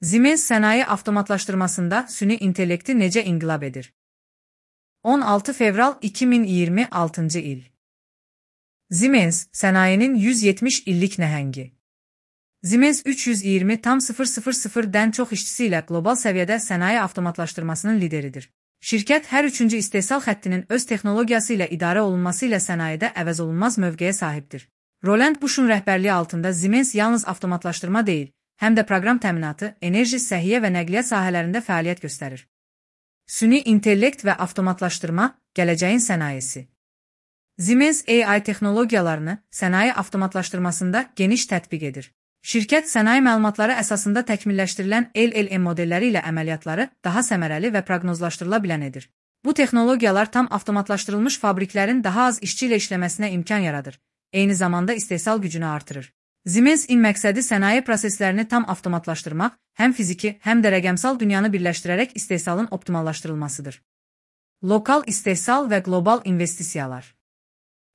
Siemens sənaye avtomatlaşdırmasında süni intellekti necə inqilab edir? 16 fevral 2026 il. Siemens, sənayenin 170 illik nəhəngi. Siemens 320,000-dən çox işçisi ilə qlobal səviyyədə sənaye avtomatlaşdırmasının lideridir. Şirkət hər üçüncü istehsal xəttinin öz texnologiyası ilə idarə olunması ilə sənayedə əvəzolunmaz mövqeyə sahibdir. Roland Bush'un rəhbərliyi altında Siemens yalnız avtomatlaşdırma deyil, həm də proqram təminatı, enerji, səhiyyə və nəqliyyat sahələrində fəaliyyət göstərir. Süni intellekt və avtomatlaşdırma, gələcəyin sənayesi. Siemens AI texnologiyalarını sənaye avtomatlaşdırmasında geniş tətbiq edir. Şirkət sənaye məlumatları əsasında təkmilləşdirilən LLM modelləri ilə əməliyyatları daha səmərəli və proqnozlaşdırıla bilən edir. Bu texnologiyalar tam avtomatlaşdırılmış fabriklərin daha az işçi ilə işləməsinə imkan yaradır, eyni zamanda istehsal gücünü artırır. Siemens-in məqsədi sənaye proseslərini tam avtomatlaşdırmaq, həm fiziki, həm də rəqəmsal dünyanı birləşdirərək istehsalın optimallaşdırılmasıdır. Lokal istehsal və qlobal investisiyalar.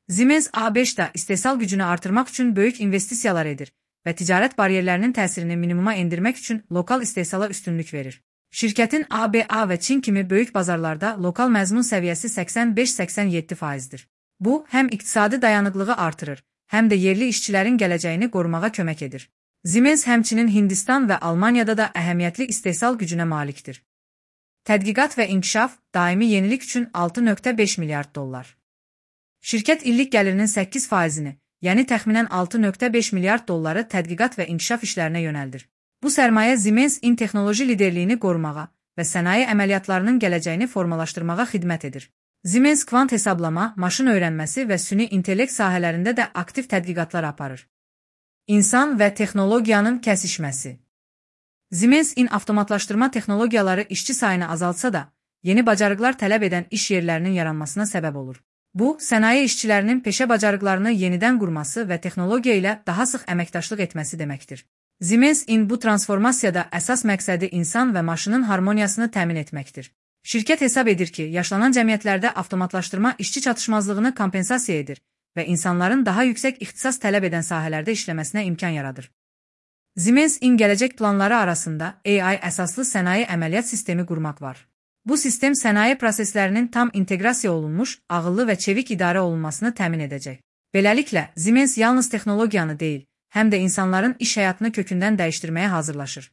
Siemens A5-də istehsal gücünü artırmaq üçün böyük investisiyalar edir və ticarət bariyerlərinin təsirini minimuma endirmək üçün lokal istehsala üstünlük verir. Şirkətin ABA və Çin kimi böyük bazarlarda lokal məzmun səviyyəsi 85-87%-dir. Bu, həm iqtisadi dayanıqlığı artırır, həm də yerli işçilərin gələcəyini qorumağa kömək edir. Siemens həmçinin Hindistan və Almaniyada da əhəmiyyətli istehsal gücünə malikdir. Tədqiqat və inkişaf, daimi yenilik üçün $6.5 milyard. Şirkət illik gəlirinin 8%-ni, yəni təxminən $6.5 milyard tədqiqat və inkişaf işlərinə yönəldir. Bu sərmayə Siemens-in texnoloji liderliyini qorumağa və sənaye əməliyyatlarının gələcəyini formalaşdırmağa xidmət edir. Siemens kvant hesablama, maşın öyrənməsi və süni intellekt sahələrində də aktiv tədqiqatlar aparır. İnsan və texnologiyanın kəsişməsi. Siemens-in avtomatlaşdırma texnologiyaları işçi sayını azaltsa da, yeni bacarıqlar tələb edən iş yerlərinin yaranmasına səbəb olur. Bu, sənaye işçilərinin peşə bacarıqlarını yenidən qurması və texnologiya ilə daha sıx əməkdaşlıq etməsi deməkdir. Siemens-in bu transformasiyada əsas məqsədi insan və maşının harmoniyasını təmin etməkdir. Şirkət hesab edir ki, yaşlanan cəmiyyətlərdə avtomatlaşdırma işçi çatışmazlığını kompensasiya edir və insanların daha yüksək ixtisas tələb edən sahələrdə işləməsinə imkan yaradır. Siemens-in gələcək planları arasında AI əsaslı sənaye əməliyyat sistemi qurmaq var. Bu sistem sənaye proseslərinin tam inteqrasiya olunmuş, ağıllı və çevik idarə olunmasını təmin edəcək. Beləliklə, Siemens yalnız texnologiyanı deyil, həm də insanların iş həyatını kökündən dəyişdirməyə hazırlaşır.